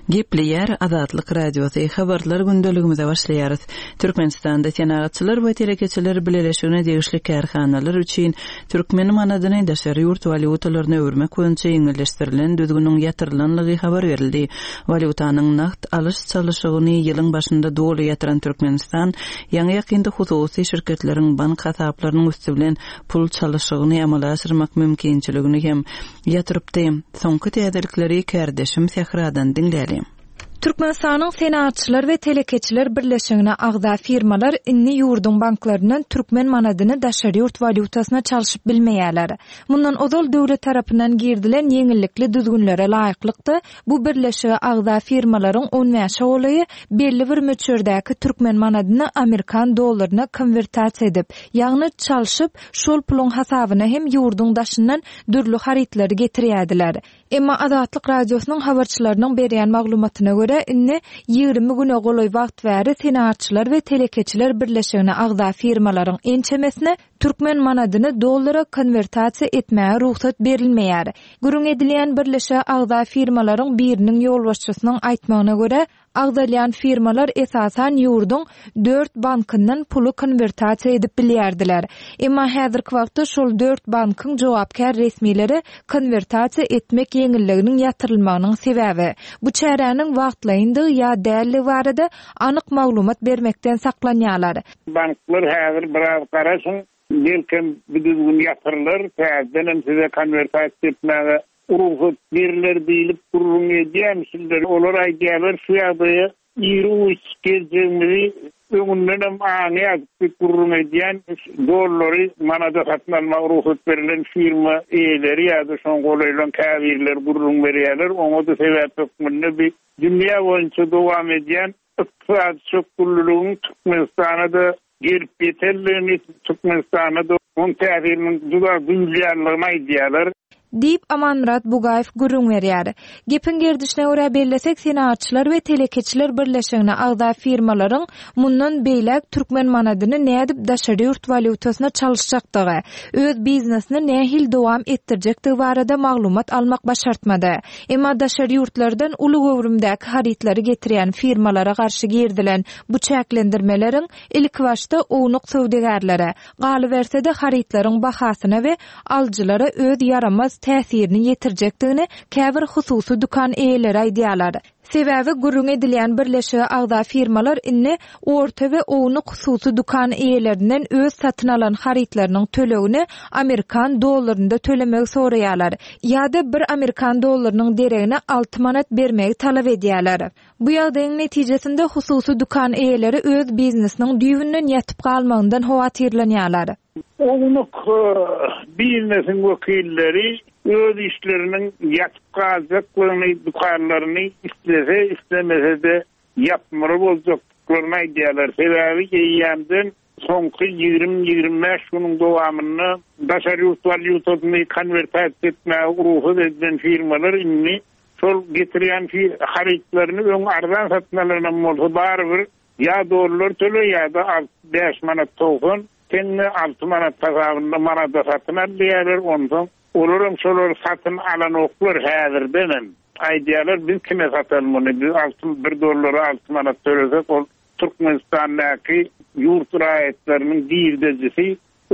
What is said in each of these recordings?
Gepleýär Azatlyk Radiosy, Habarlar gündeligimize başlaýarys. Türkmenistanda Senagatçylar we telekeçiler bileleşigine degişli kärhanalar üçin türkmen manadyny daşary ýurt walýutalaryna öwürmek boýunça ýeňilleşdirilen düzgüniň ýatyrylanlygy habar berildi. Walýutanyň nagt alyş-çalyşygyny ýylyň başynda doly ýatyran Türkmenistan ýaňy-ýakynda hususy şirketleriň bank hasaplarynyň üsti bilen pul çalyşygyny amala aşyrmak mümkinçiligini hem ýatyrypdy. Soňky täzelikleri kärdeşim Sähradan diňläliň. Türkmenistanyň Senagatçylar we telekeçiler birleşigine agza firmalar indi ýurduň banklaryndan türkmen manadyny daşary ýurt walýutasyna çalşyp bilmeýärler. Mundan ozal döwlet tarapyndan girizilen ýeňillikli düzgünlere laýyklykda, bu birleşige agza firmalaryň on bäşe golaýy belli bir möçberdäki türkmen manadyny amerikan dollaryna konwertasiýa edip, ýagny çalşyp, şol puluň hasabyna hem ýurduň daşyndan dürli harytlary getirýärdiler. Emma Azatlyk Radiosynyň habarçylarynyň berýän maglumatyna görä, indi 20 güne golaý wagt bäri Senagatçylar we telekeçiler birleşigine agza firmalaryň ençemesine türkmen manadyny dollara konwertasiýa etmäge rugsat berilmeýär. Gürrüň edilýän birleşige agza firmalaryň biriniň ýolbaşçysynyň aýtmagyna görä, Agzalýan firmalar esasan ýurduň dört bankyndan puly konwertasiýa edip bilýärdiler. Emma häzirki wagtda şol dört bankyň jogapkär resmileri konwertasiýa etmek ýeňilliginiň ýatyrylmagynyň sebäbi, bu çäräniň wagtlaýyndygy ýa däldigi barada anyk maglumat bermekden saklanýarlar. Banklar häzir biraz garaşyň, belkem bu düzgün ýatyrylar, täzedenem size konwertasiýa etmäge Rugsat beriler diýlip gürrüň edýärmişinler. Olar aýdýarlar, şu ýagdaýa iri-uç geljegimizi öňündenem aňýardyk diýip gürrüň edýän dollary manada satyn almaga rugsat berlen firma eýeleri ýa-da şoňa golaýlan käbirleri gürrüň berýärler. Oňa-da sebäp hökmünde bi dünýä boýunça dowam edýän ykdysady çökgünliligiň Türkmenistana-da gelip ýetendigini, Türkmenistanda-da onuň täsiriniň juda duýulýandygyny aýdýarlar. Diýip, Amanmyrat Bugaýew gürrüň berýär. Gepiň gerdişine görä bellesek, Senagatçylar we telekeçiler birleşigine agza firmalaryň mundan beýläk türkmen manadyny nädip daşary ýurt walýutasyna çalyşjakdygy, öz biznesini nähili dowam etdirjekdigi barada maglumat almak başartmady. Emma daşary ýurtlardan uly göwrümdäki harytlary getirýän firmalara garşy girizilen Bu çäklendirmeleriň ilkibaşda ownuk söwdagärlere, galyberse-de harytlaryň bahasyna we alyjylara öz ýaramaz täsirini ýetirjekdigini käbir hususy dükan eýeleri aýdýarlar. Sebäbi gürrüň edilýän birleşige agza firmalar indi orta we ownuk hususy dükan eýelerinden öz satyn alan harytlarynyň tölegini amerikan dollarynda tölemegi soraýarlar ýa-da bir amerikan dollarynyň deregine alty manat bermegi talap edýärler. Bu ýagdaýyň netijesinde hususy dükan eýeleri öz biznesiniň düýbünden ýatyp galmagyndan howatyrlanýarlar. Ownuk biznesiň wekilleri öz işleriniň ýatyp galjaklygyny, dükanlaryny islese, islemese-de ýapmaly boljakdyklaryny aýdýarlar. Sebäbi eýýämden Soňky 20-25 günüň dowamynda daşary ýurt walýutasyny konwertasiýa etmäge rugsat edilen firmalar indi şol getirýän harytlaryny öň arzan satyn alanam bolsa barybir ýa dollar töle ýa-da bäş manat 90 teňňe alty manat hasabynda manada satyn al diýýärler onsoň olaram şolary satyn alanoklar häzirdenem aýdýarlar biz kime sataly muny biz alty bir dollara alty manat tölesek ol Türkmenistandaky ýurt raýatlarynyň girdejisi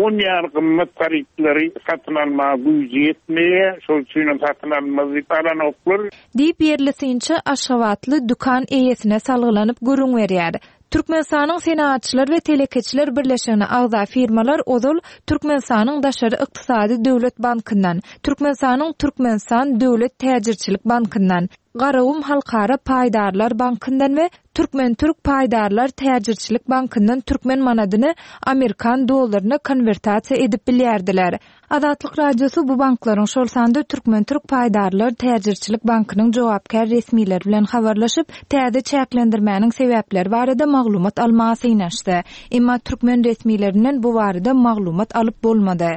on ýaly gymmat harytlary satyn almaga güýji ýetmeýär, şol üçinem satyn almaz diýip alanoklar. Diýip, ýerli synçy aşgabatly dükan eýesine salgylanyp gürrüň berýär. Türkmenistanyň Senagatçylar we telekeçiler birleşigine agza firmalar ozal Türkmenistanyň Daşary ykdysady döwlet bankyndan, Türkmenistanyň Türkmenistan döwlet täjirçilik bankyndan, Garagum halkara paýdarlar bankyndan we Türkmen-türk paýdarlar täjirçilik bankyndan türkmen manadyny amerikan dollaryna konwertasiýa edip bilýärdiler. Azatlyk Radiosy bu banklaryň, şol sanda Türkmen-türk paýdarlar täjirçilik bankynyň jogapkär resmileri bilen habarlaşyp, täze çäklendirmäniň sebäpleri barada maglumat almaga synanyşdy. Emma türkmen resmilerinden bu barada maglumat alyp bolmady.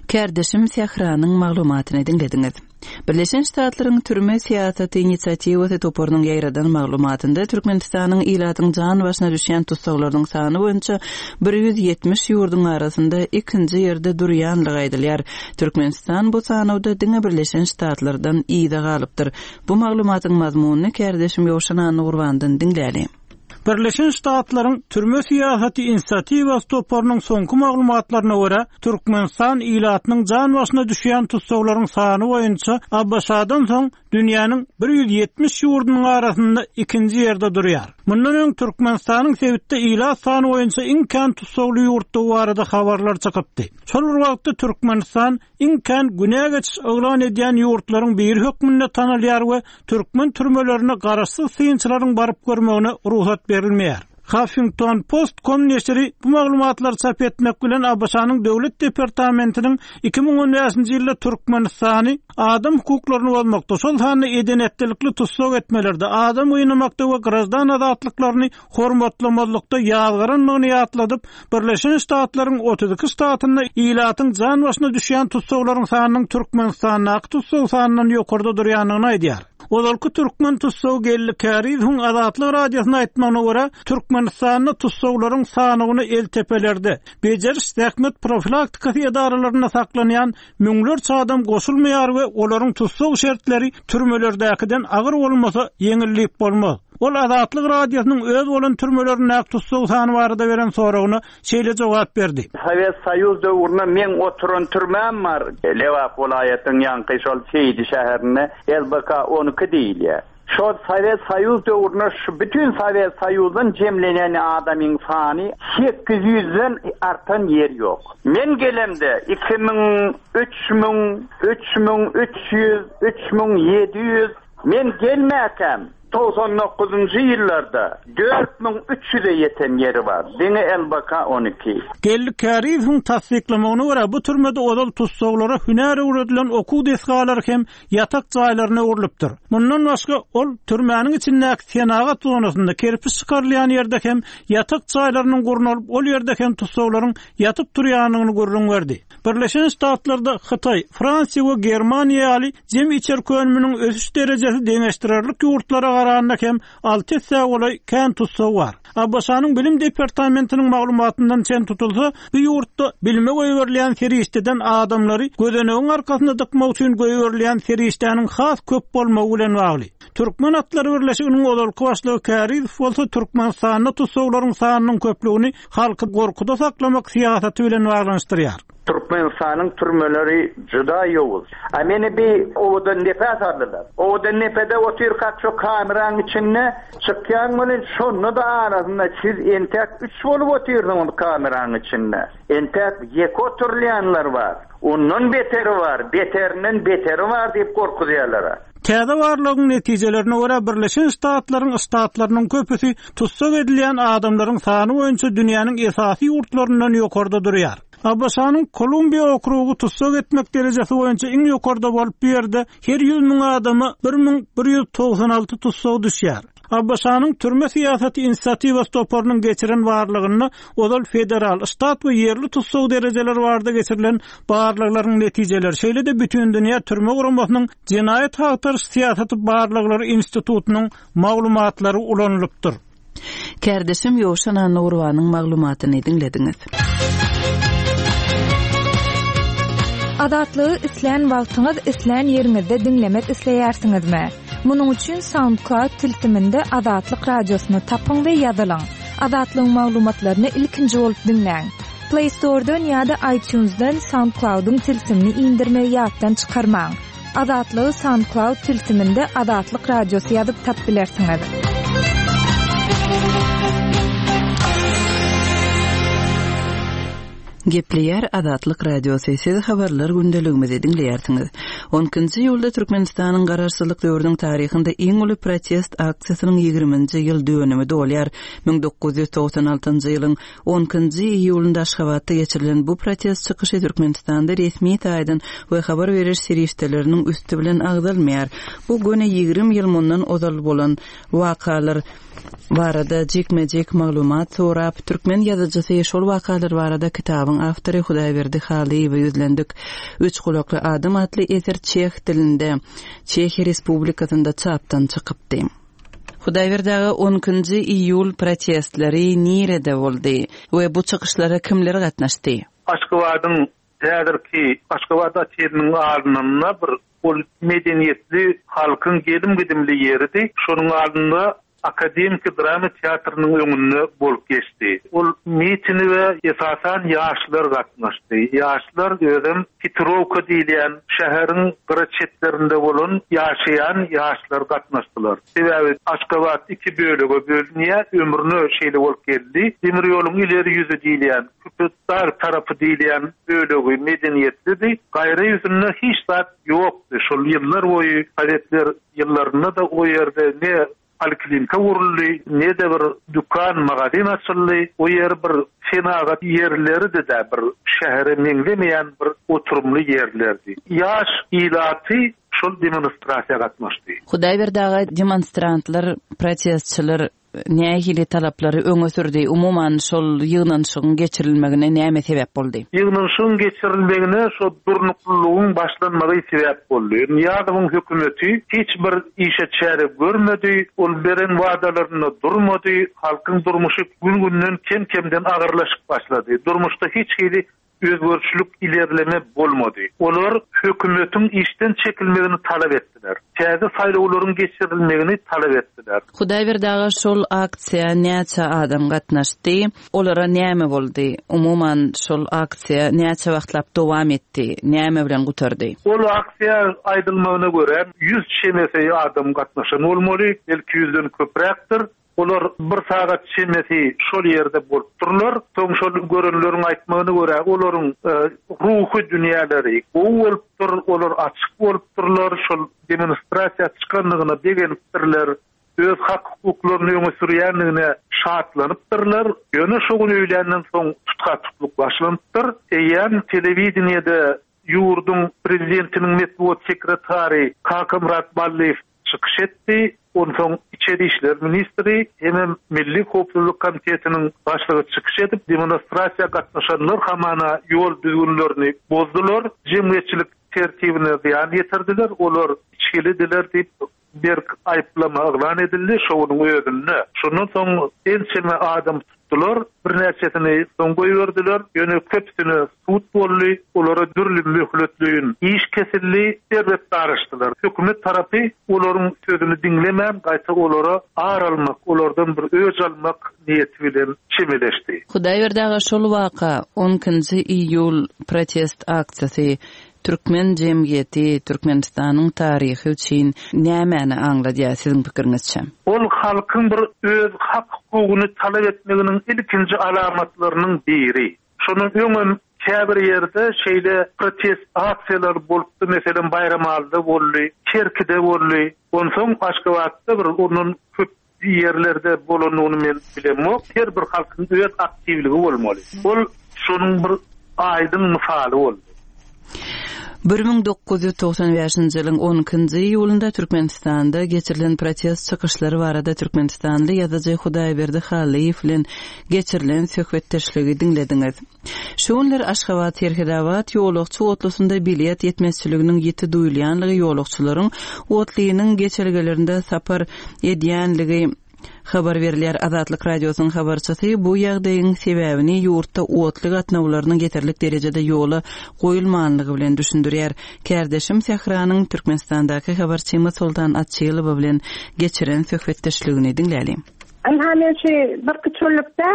Kärdeşim Sähranyň maglumatyny diňlediňiz. Birleşen Ştatlaryň Türme syýasaty inisiatiwasy toparynyň ýaýradan maglumatynda Türkmenistanyň ilatyň jan başyna düşýän tussaglarynyň sany boýunça 170 ýurduň arasynda ikinji ýerde durýanlygy aýdylýar. Türkmenistan bu sanawda diňe Birleşen Ştatlardan yza galypdyr. Bu maglumatyň mazmunyny kärdeşim Ýowşan Annagurbandan diňläliň. Birleşen Ştatlaryň Türme syýasaty inisiatiwasy toparynyň soňky maglumatlaryna görä, Türkmenistan ilatynyň jan başyna düşýän tussaglaryň sany boýunça ABŞ-dan soň dünýäniň 170 ýurdunyň arasynda ikinji ýerde durýar. Mundan öň Türkmenistanyň sebitde ilat sany boýunça iň kän tussagly ýurtdugy barada habarlar çykypdy. Şol bir wagtda Türkmenistan iň kän günä geçiş yglan edýän ýurtlaryň biri hökmünde tanalýar we türkmen türmelerine garaşsyz synçylaryň baryp görmegine rugsat berilmeýär. Huffington Post com neşiri bu maglumatlary çap etmek bilen ABŞ-nyň Döwlet departamentiniň 2015-nji ýylda Türkmenistany adam hukuklaryny bozmakda, şol sanda eden-etdilikli tussag etmelerde, adam gynamakda we graždan azatlyklaryny hormatlamazlykda ýazgarandygyny ýatladyp, Birleşen Ştatlaryň 32 ştatynda ilatyň jan başyna düşýän tussaglaryň sanynyň Türkmenistandaky tussag sanyndan ýokarda durýandygyny aýdýar. Ozalky türkmen tussagy Geldi Kärizowyň Azatlyk Radiosyna aýtmagyna görä, Türkmenistanda tussaglaryň sanawyna eltepelerde, bejeriş-zähmet profilaktikasy edaralarynda saklanýan müňlerçe adam goşulmaýar we olaryň tussag şertleri türmelerdäkiden agyr bolmasa, ýeňil diýip bolmaz. Ol Azatlyk Radiosynyň öz bolan türmelerindäki tussag sany barada beren soragyna şeýle jogap berdi. Sowet Soýuz döwründe meň oturan türmäm bar. Lebap welaýatynyň ýaňky şol Seýdi şäherinde LBK 12 diýilýär. Şol Sowet Soýuz döwründe şu bütin Sowet Soýuzdan jemlenen adamyň sany 800-den artan ýeri ýok. Men gelemde 2000, 3000, 3300, 3700, men gelmäkäm 99-njy ýyllarda 4300-e ýeten ýeri bar. Diňe LBK 12. Geldi Kärizowyň tassyklamagyna görä, bu türmede ozal tussaglara hünär öwredilen okuw desgalary hem ýatak jaýlaryna öwrülipdir. Mundan başga, ol türmäniň içindäki senagat zonasynda kerpiç çykarylýan ýerde hem ýatak jaýlarynyň gurnalyp, ol ýerde hem tussaglaryň ýatyp turýandygyny gürrüň berdi. Birleşen Ştatlarda Hytaý, Fransiýa we Germaniýa ýaly jemi içerki önüminiň ösüş derejesi deňeşdirerlik ýurtlara garanda hem alty essä golaý kän tussag bar. ABŞ-nyň Bilim departamentiniň maglumatyndan çen tutulsa, bu ýurtda bilime goýberilýän serişdeden adamlary gözenegiň arkasynda dykmak üçin goýberilýän serişdäniň has köp bolmagy bilen bagly. Türkmen atlary birleşiginiň ozalky başlygy Kärizow bolsa Türkmenistanda tussaglaryň sanynyň köplügini halky gorkuda saklamak syýasaty bilen baglanyşdyrýar. Türkmenistanyň türmeleri juda ýowuz. A meni bi Owadandepä saldylar. Owadandepede otyrkak şo kameraň içinde çykýaň welin şonda-da arasynda siz entäk üç bolup otyrsyňyz kameraň içinde. Entäk ýeke oturylýanlar bar. Ondan beteri bar, beterinden beteri bar diýip gorkuzýarlar-a. Täze barlagyň netijelerine görä, Birleşen Ştatlaryň ştatlarynyň köpüsi tussag edilýän adamlaryň sany boýunça dünýäniň esasy ýurtlaryndan ýokarda durýar. ABŞ-nyň Kolumbiýa okrugy tussag etmek derejesi boýunça iň ýokarda bolup, bu ýerde her 100 müň adama 1196 tussag düşýär. ABŞ-nyň Türme syýasaty inisiatiwasy toparynyň geçiren barlagynda ozal federal, ştat we ýerli tussag derejeleri barada geçirilen barlaglaryň netijeleri, şeýle-de Bütindünýä türme guramasynyň Jenaýat agtaryş syýasaty barlaglary institutynyň maglumatlary ulanylypdyr. Kärdeşim Ýowşan Annagurbanyň maglumatyny diňlediňiz. Azatlygy islän wagtyňyz, islän ýeriňizde diňlemek isleýärsiňizmi? Munuň üçin SoundCloud tilsiminde Azatlyk Radiosyny tapyň we ýazylyň. Azatlygyň maglumatlaryny ilkinji bolup diňläň. Play Store-dan ýa-da iTunes-dan SoundCloud-yň tilsimini indirmegi ýatdan çykarmaň. Azatlygy SoundCloud tilsiminde Azatlyk Radiosy ýazyp tap bilersiňiz. Gepleýär Azatlyk Radiosy, siz habarlar gündeligimizi diňleýärsiňiz. On ikinji iýulda Türkmenistanyň Garaşsyzlyk döwrüniň taryhynda iň uly protest aksiýasynyň ýigriminji ýyl dönümi dolýar. 1996-njy ýylyň On ikinji iýulynda Aşgabatda geçirilen bu protest çykyşy Türkmenistanda resmi taýdan we habar beriş serişdeleriniň üsti bilen agzalmaýar. Bu göni 20 ýyl mundan ozal bolan wakalar. Barada jikme-jik maglumat sorap, türkmen ýazyjysy, şol wakalar barada kitabyň awtory Hudaýberdi Halyýewe ýüzlendik. Üç gulakly adam atly eser çeh dilinde, Çehiýa Respublikasynda çapdan çykypdy. Hudaýberdi aga, on ikinji iýul protestleri nirede boldy we bu çykyşlara kimler gatnaşdy? Aşgabadyň häzirki Aşgabat oteliniň alnynda bir ol medeniýetli halkyň gelim-gidimli ýeridi. Şonuň alnynda Akademiki drama teatrynyň öňünde bolup geçdi. Ol mitinige esasan ýaşlar gatnaşdy. Ýaşlar özem Hitrowka diýilýän şäheriň gyra çetlerinde bolan ýaşaýan ýaşlar gatnaşdylar. Sebäbi Aşgabat iki bölege bölünýär, ömrüne şeýle bolup geldi. Demir ýoluň ileri ýüzi diýilýän, Köpetdag tarapy diýilýän bölegi medeniýetlidi. Gaýra ýüzünde hiç zat ýokdy. Şol ýyllar boýy sowetler ýyllarynda-da o ýerde ne poliklinika guruldy, ne-de bir dükan, magazin açyldy. O ýer bir senagat ýerleridi-dä, bir şähere meňzemeýän bir oturymly ýerlerdi. Ýaş ilaty şol demonstrasiýa gatnaşdy. Hudaýberdi aga, demonstrantlar, protestçiler nähili talaplary öňe sürdi, umuman, şol ýygnanyşygyň geçirilmegine näme sebäp boldy? Ýygnanyşygyň geçirilmegine şo durnuklylygyň başlanmagy sebäp boldy. Nyýazowyň hökümeti hiç bir işe çäre görmedi, ol beren wadalarynda durmady, halkyň durmuşy gün-günden kem-kemden agyrlaşyp başlady. Durmuşda hiç hili özgerişlik, ilerleme bolmady. Olar hökümetiň işden çekilmegini talap etdiler. Täze saýlawlaryň geçirilmegini talap etdiler. Hudaýberdi aga şol aksiýa näçe adam gatnaşdy? Olara näme boldy? Umuman şol aksiýa näçe wagtlap dowam etdi? Näme bilen gutardy? Ol aksiýa aýdylmagyna görä ýüz çemesi adam gatnaşan bolmaly, belki ýüzden köpräkdir. Olar bir sagat çemesi şol ýerde bolupdyrlar. Soň şol görenleriň aýtmagyna görä, olaryň ruhy dünýäleri gowy bolupdyr, olar açyk bolupdyrlar, şol demonstrasiýa çykandygyna begenipdirler, öz hak-hukuklaryny öňe sürýändigine şatlanypdyrlar. Ýöne şo gün öýländen soň tutha-tutluk başlanypdyr. Eýýäm telewideniýede ýurduň prezidentiniň metbugat sekretary Kakamyrat Ballyýew çykyş etdi. Onsoň içeri işler ministri hemem Milli howpsuzlyk komitetiniň başlygy çykyş edip, demonstrasiýa gatnaşanlar hamana ýol düzgünlerini bozdular, jemgyýetçilik tertibine zyýan ýetirdiler, olar içgilidiler diýip, berk aýyplama yglan edildi şo günüň özünde. Şondan soň ençeme adam tutdular, birnäçesini soň goýberdiler, ýöne köpüsine sud boldy, olara dürli möhletleýin iş kesildi, erbet daraşdylar. Hökümet tarapy olaryň sözüni diňlemän, gaýta olara ar almak, olardan bir öç almak niýeti bilen çemeleşdi. Hudaýberdi aga şol waka, on ikinji iýul protest aksiýasy Türkmen jemgyýeti, Türkmenistanyň taryhy üçin nämäni aňladýar siziň pikiriňizçe? Ol halkyň bir öz hak-hukugyny talap etmeginiň ilkinji alamatlarynyň biri. Şondan öňem käbir ýerde şeýle protest aksiýalary bolupdy, meselem, Baýramalyda boldy, Kerkide boldy. Onsoň Aşgabatda bir ondan köp ýerlerde bolanyny men bilemok. Her bir halkyň öz aktiwligi bolmaly. Ol şonuň bir aýdyň mysaly boldy. 1995-nji ýylyň on ikinji iýulynda Türkmenistanda geçirilen protest çykyşlary barada türkmenistanly ýazyjy Hudaýberdi Hallyýew bilen geçirilen söhbetdeşligi diňlediňiz. Şu günler Aşgabat-Serhetabat ýolagçy otlusynda bilet ýetmezçiliginiň ýiti duýulýanlygy ýolagçylaryň otlynyň geçelgelerinde sapar edýänligi habar berilýär. Azatlyk Radiosynyň habarçysy bu ýagdaýyň sebäbini ýurtda otly gatnawlarynyň ýeterlik derejede ýola goýulmanlygy bilen düşündirýär. Kärdeşim Sähranyň Türkmenistandaky habarçymyz Soltan Açylowa bilen geçiren söhbetdeşligini diňläliň. Ynha men şu birki çöllükde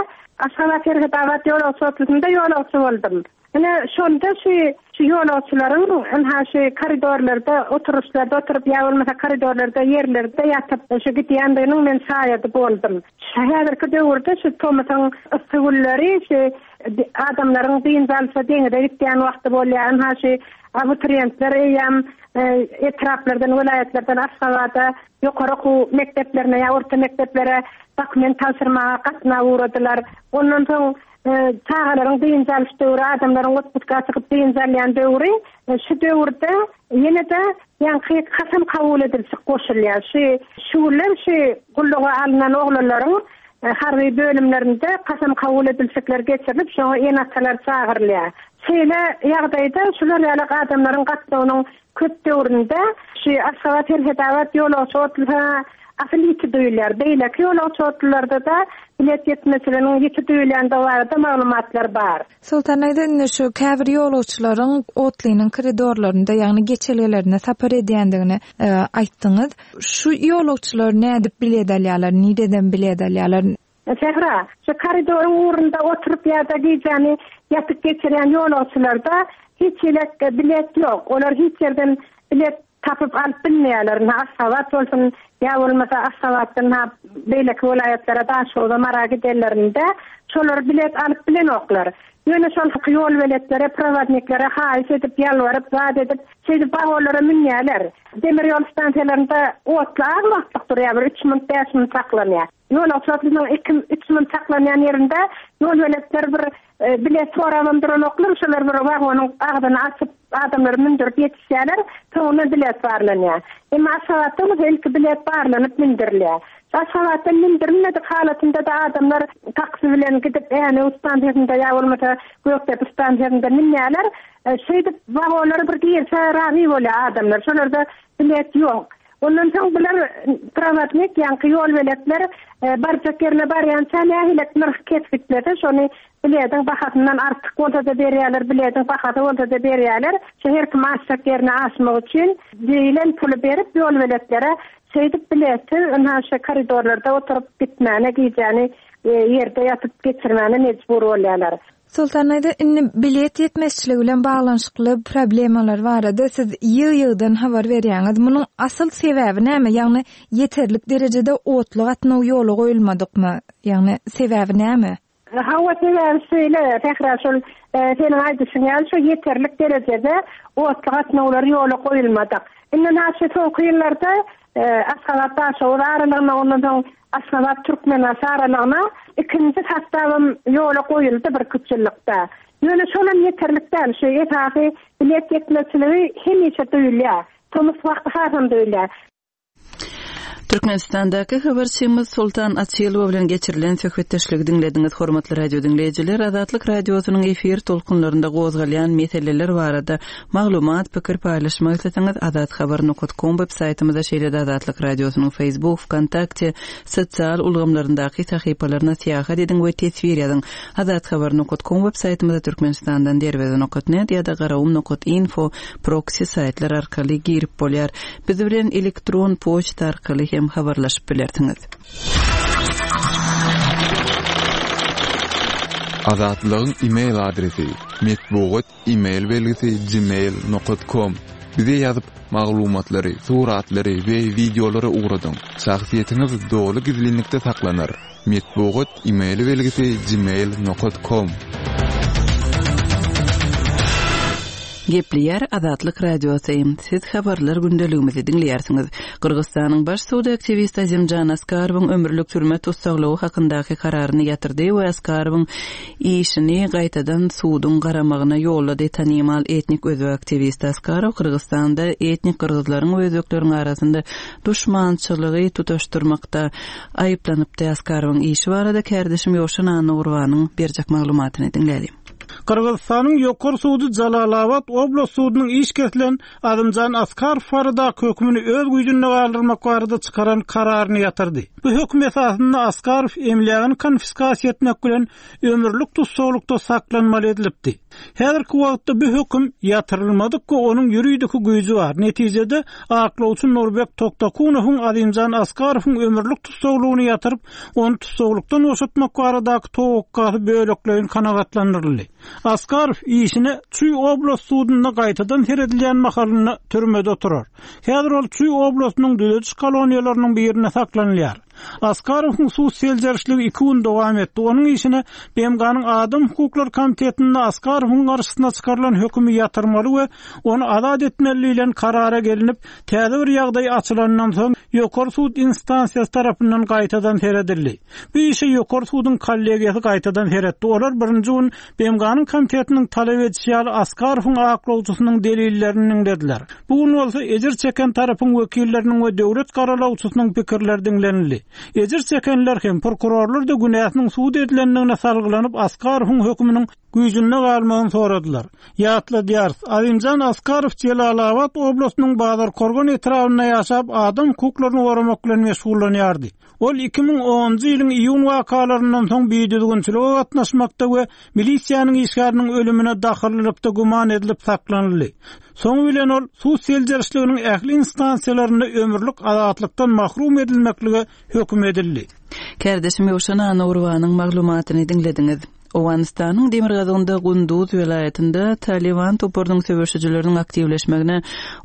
Aşgabat-Serhetabat ýolagçy otlusynda ýolagçy boldum. Ine, şonda şu şu ýolagçylaryň ynha şu koridorlarda, oturyşlarda oturyp ýa bolmasa koridorlarda ýerlerde ýatyp şu gidýändiginiň men şaýady boldum. Şu häzirki döwürde şu tomusyň yssy günleri şu adamlaryň dynç alşa deňize gitýän wagty bolýar. Ynha şu abituriýentler eýýäm etraplardan, welaýatlardan Aşgabada ýokary okuw mekdeplerine ýa orta mekdeplere dokument tabşyrmaga gatnap ugradylar. Ondan soň çagalaryň dynç alyş döwri, adamlaryň otpuska çykyp dynç alýan döwri. Şu döwürde ýene-de. ýaňky kasam kabul edilşik goşulýar. Şu şu günler şu gulluga alnan oglanlaryň harby bölümlerinde kasam kabul edilşikler geçirilip, şoňa ene-atalar çagyrylýar. Şeýle ýagdaýda şular ýaly adamlaryň gatnawynyň köp döwründe şu Aşgabat-Serhetabat ýolagçy otlusy asyl ýiti duýulýar. Beýleki ýolagçy otlularda-da bilet ýetmezçiliginiň ýiti duýulýandygy barada maglumatlar bar. Soltan daýza indi şu käbir ýolagçylaryň otlynyň koridorlarynda, ýagny geçelgelerinde sapar edýändigini aýtdyňyz. Şu ýolagçylar nädip bilet alýarlar, nireden bilet alýarlar? Sähra, şu koridoryň ugrunda oturyp ýa-da gijäni ýatyp geçirýän ýolagçylarda hiç hili bilet ýok. Olar hiç ýerden bilet tapyp alyp bilmeýärler. Ynha Aşgabat bolsun, ýa bolmasa Aşgabatdan ha beýleki welaýatlara Daşoguza, Mara gidenlerinde şolar bilet alyp bilenoklar. Ýöne şol ýolbeletlere, prowodniklere haýyş edip, ýalbaryp, zat edip, şeýdip wagonlara münýärler. Demir ýol stansiýalarynda otly az wagtlyk durýar, bir üç minut, bäş minut saklanýar. Ýolagçy otlynyň iki, üç minut saklanýan ýerinde ýolbeletler bir bilet sorabam duranoklar, şolar bir wagonyň agzyny açyp, adamlary mündürip ýetişýärler, soňundan bilet barlanýar. Emma Aşgabatda bolsa ilki bilet barlanyp mündürilýär. Aşgabatdan mündürilmedik halatynda-da adamlar taksi bilen gidip Änew stansiýasynda ýa bolmasa Gökdepe stansiýasynda münýärler. Şeýdip wagonlara bir girse razy bolýar adamlar. Şolarda bilet ýok. Ondan soň bular prowodnik, ýaňky ýolbeletler barjak ýerine barýança nähilek nyrh kesgitlese, şony bilediň bahasyndan artyk bolsa-da berýärler, bilediň bahasy bolsa-da berýärler. Şu her kim aşjak ýerine aşmak üçin diýlen puly berip ýolbeletlere şeýdip biletsiz ynha şu koridorlarda oturyp gitmäne, gijäni ýerde ýatyp geçirmäne mejbur bolýarlar. Soltan daýza, indi bilet ýetmezçiligi bilen baglanyşykly problemalar barada siz ýygy-ýygydan habar berýäňiz. Munuň asyl sebäbi näme? Ýagny ýeterlik derejede otly gatnaw ýola goýulmadykmy? Ýagny sebäbi näme? Hawa, sebäbi şeýle, Sähra, şol seniň aýdyşyň ýaly şo ýeterlik derejede otly gatnawlar ýola goýulmadyk. Indi naşy soňky ýyllarda Aşgabat-Daşoguz aralygyna, ondan soň Aşgabat-Türkmenbaşy aralygyna ikinji sostawam ýola goýuldy birküç ýyllykda. Ýöne şolam ýeterlik däl. Şu esasy bilet ýetmezçiligi hemişe duýulýar. Tomus wagty hasam duýulýar. Türkmenistandaky habarçymyz Soltan Açylowa bilen geçirilen söhbetdeşligi diňlediňiz. Hormatly radio diňleýjiler, Azatlyk Radiosynyň efir tolkunlarynda gozgalýan meseleler barada Maglumat, pikir paýlaşmak isleseňiz azathabar nokat kom web saýtymyza şeýle-de Azatlyk Radiosynyň Facebook, Wkontakte sosial ulgamlaryndaky sahypalaryna syýahat ediň we teswir ýazyň. Azathabar nokat kom web saýtymyza Türkmenistandan Derweze nokat net ýa-da Garagum nokat info proksi saýtlar arkaly girip bolýar. Biz bilen elektron poçta arkaly hem habarlaşyp bilersiňiz. Azatlygyň e-mail adresi, metbugat E-mail belgisi gmail nokat kom Bize ýazyp, maglumatlary, suratlary we wideolary ugradyň. Şahsyýetiňiz doly gizlinlikde saklanar. Metbugat e-mail belgisi gmail nokat kom. Gepleýär Azatlyk Radiosy. Siz habarlar gündeligimizi diňleýärsiňiz. Gyrgyzystanyň baş sudy aktiwisti Azimjan Askarowyň ömürlik türme tussaglygy hakyndaky kararyny ýatyrdy we Askarowyň Işini gaýtadan suduň garamagyna ýollady Tanymal etnik özbek aktiwisti Askarow Gyrgyzystanda etnik gyrgyzlaryň we özbekleriň arasynda duşmançylygy tutaşdyrmakda aýyplanypdy. Askarowyň işi barada kärdeşim Ýowşan Annagurbanyň berjek maglumatyny diňläliň. Gyrgyzystanyň Ýokary sudy Jalalabat oblast sudunyň iş kesilen Azymjan Askarow baradaky hökümini öz güýjünde galdyrmak barada çykaran kararyny ýatyrdy. Bu höküm esasynda Askarow emlägini konfiskasiýa etmek bilen ömürlik tussaglykda saklanmaly edilipdi. Häzirki wagtda bu höküm ýatyrylmadyk we onuň ýuridiki güýji bar. Netijede, aklawçy Nurbek Toktakunowyň Azymjan Askarowyň ömürlik tussaglygyny ýatyryp, ony tussaglykdan boşatmak baradaky towakgasy bölekleýin kanagatlandyryldy. Askarow işine Çuý oblast sudunda gaýtadan seredilýän mahalynda türmede oturar. Häzir ol Çuý oblastynyň düzediş koloniýalarynyň birinde saklanylýar. Askarowyň sud seljerişligi iki gün dowam etdi. Onuň işine BMG-niň Adam hukuklary komitetinde Askarowyň garşysyna çykarylan hökümi ýatyrmaly we ony azat etmeli diýlen karara gelinip, täze bir ýagdaý açylandan soň, ýokary sud instansiýasy tarapyndan gaýtadan seredildi. Bu işe ýokary suduň kollegiýasy gaýtadan seretdi. Olar birinji gün BMG-niň komitetiniň talap edişi ýaly Askarowyň aklawçysynyň delillerini diňlediler. Bu gün bolsa ejir çeken tarapyň wekilleriniň we döwlet garalawçysynyň pikirleri diňlenildi. Ejir çekenler hem, prokurorlar-da günäsiniň subut edilendigine salgylanyp Askarowyň höküminiň güýjünde galmagyny soradylar. Ýatladýarys, Azimjan Askarow Jelalabat oblastynyň Bazarkorgan etrabynda ýaşap, adam hukuklaryny goramak bilen meşgullanýardy. Ol 2010-njy ýylyň iýun wakalaryndan soň bidüzgünçilige gatnaşmakda we milisiýanyň işgäriniň ölümine dahyllylykda güman edilip saklanyldy. Soňy bilen ol sud seljerişliginiň ähli instansiýalarynda ömürlik azatlykdan mahrum edilmeklige höküm edildi. Kärdeşim Ýowşan Annagurbanyň maglumatyny diňlediňiz. Owganystanyň demirgazygynda Gunduz welaýatynda Talyban toparynyň söweşijileriniň aktiwleşmegine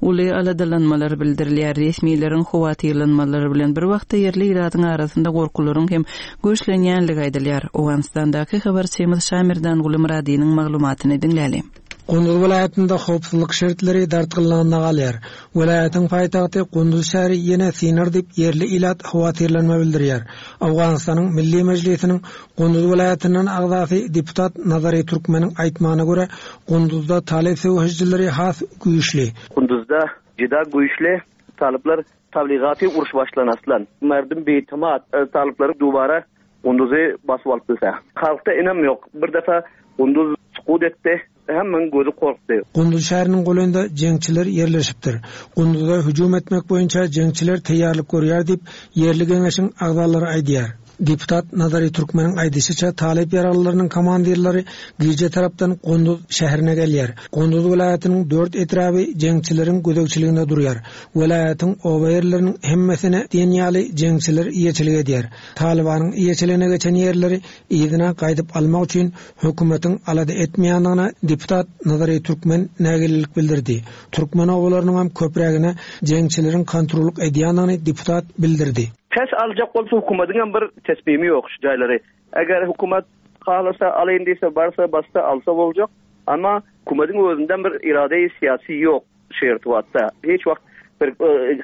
uly aladalanmalar bildirilýär. Resmileriň howatyrlanmalary bilen bir wagtda ýerli ilatyň arasynda gorkularyň hem güýçlenýänligi aýdylýar. Owganystandaky habarçymyz Şamerdanguly Myradynyň maglumatyny diňläli. Gunduz welaýatynda howpsuzlyk şertleri dartgynlygynda galýar. Welaýatyň paýtagty Gunduz şäheri ýene synar diýip, ýerli ilat howatyrlanma bildirýär. Owganystanyň Milli Mejlisiniň Gunduz welaýatyndan agzasy deputat Nazary Türkmeniň aýtmagyna görä, Gunduzda talyp söweşijileri has güýçli. Gunduzda juda güýçli talyplar tabligaty uruş başlan aslan. Merdum biitimat talyplary dubara Gunduzy basyp alyp bilse. Halkda ynam ýok. Bir defa Gunduz sukut etdi. Hemmäň gözi korkdy. Gunduz şäheriniň golaýynda jeňçiler ýerleşipdir. Gunduza hüjüm etmek boýunça jeňçiler taýýarlyk görýär diýip, ýerli geňeşiň agzalary aýdýar. Deputat Nazary Türkmeniň aýdyşyça, talyp ýaraglylarynyň komandirleri gije tarapdan Gunduz şäherine gelýär. Gunduz welaýatynyň dört etraby jeňçileriň gözegçiliginde durýar. Welaýatyň oba ýerleriniň hemmesine diýen ýaly jeňçiler eýeçilik edýär. Talybanyň eýeçiligine geçen ýerleri yzyna gaýdyp almak üçin hökümetiň alada etmeýändigine deputat Nazary Türkmen nägilelik bildirdi. Türkmen obalarynyňam köprägine jeňçileriň kontrollyk edýändigini deputat bildirdi. Pes aljak bolsa hökümetiňem bir tesmimi ýok şu jaýlary. Eger hökümet halasa alaýyn diýse barsa bassa alsa boljak. Emma hökümetiň özünden bir iradeýi syýasy ýok. Şu irtibatda hiç wagt bir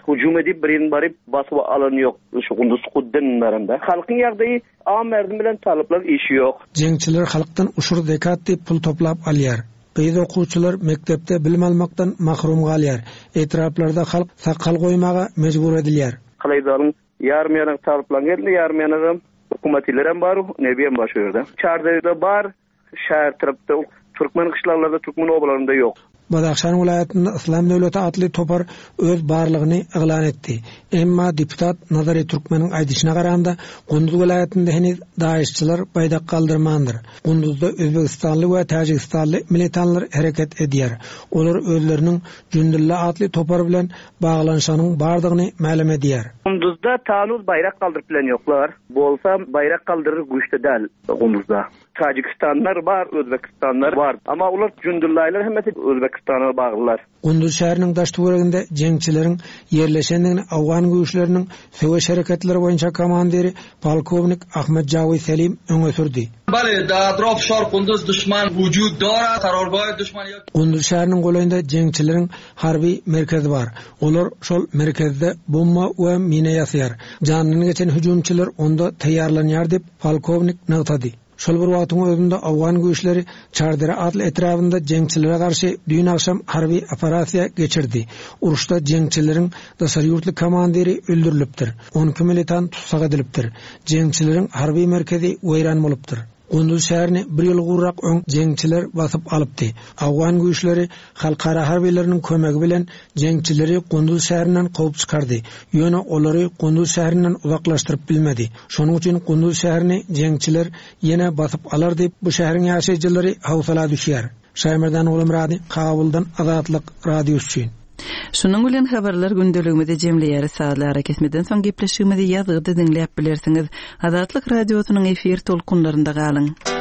hüjüm edip birini baryp basyp alan ýok şu Gunduz Kudden baranda. Halkyň ýagdaýy am merdim bilen talyplar işi ýok. Jeňçiler halkdan uşur zekat diýip pul toplap alýar. Gyz okuwçylar mekdepde bilim almakdan mahrum galýar. Etraplarda halk sakgal goýmaga mejbur edilýär. Kalaýzalyň ýarym ýanagy talyplaryň elinde ýarym ýanagam hökümetilerem bar nebiyem bar şu ýerde. Çardeýde bar Şäher tarapda türkmen gyşlaglarda, türkmen obalarynda ýok. Badahşan welaýatynda Yslam döwleti atly topar öz barlygyny yglan etdi. Emma deputat Nazary Türkmeniň aýdyşyna garanda, Gunduz welaýatynda heniz daeşçiler baýdak galdyrmandyr. Gunduzda özbegistanly we täjigistanly militanlar hereket edýär. Olar özleriniň Jündulla atly topar bilen baglanyşygynyň bardygyny mälim edýär. Gunduzda tanuz baýrak galdyryp bilen ýoklar. Bolsa baýrak galdyryr güýçde däl Gunduzda. Tajikistanlar bar, Özbekistanlar bar. Amma olar Jündullaýlar hemmesi Özbekistana baglylar. Gunduz şäheriniň daş-töwereginde jeňçileriň ýerleşendigini owgan güýçleriniň söweş hereketleri boýunça komandiri polkownik Ahmed Jawi Selim öňe sürdi. Bale, da atrof şor Kunduz duşman wujud dora, karorgoý duşman ýok. Gunduz şäheriniň golaýynda jeňçileriň harby merkezi bar. Olar şol merkezde bomba we mina ýasaýar. Janyndan geçen hüjümçiler onda taýýarlanýar diýip, Polkownik nygtady. Şol bir wagtyň özünde owgan güýçleri Çardere atly etrabynda jeňçilere garşy düýn agşam harby operasiýa geçirdi. Uruşda jeňçileriň daşary ýurtly komandiri öldürilipdir, 12 militant tussag edilipdir. Jeňçileriň harby merkezi weýran bolupdyr. Gunduz şäherini bir ýyl gowrak öň jeňçiler basyp alypdy. Owgan güýçleri Halkara harbylarynyň kömegi bilen jeňçileri Gunduz şäherinden kowup çykardy. Ýöne olary Gunduz şäherinden uzaklaşdyryp bilmedi. Şonuň üçin Gunduz şäherini jeňçiler ýene basyp alar diýip, bu şäheriň ýaşaýjylary howsala düşýär. Şaýmerdan Gulumyrady, Kabuldan Azatlyk Radiosy üçin. Şunuň bilen habarlar gündeligimizi jemleýäris. Sazly arakesmeden soň gepleşigimizi ýazgyda diňläp bilersiňiz. Azatlyk Radiosynyň efir tolkunlarynda galyň.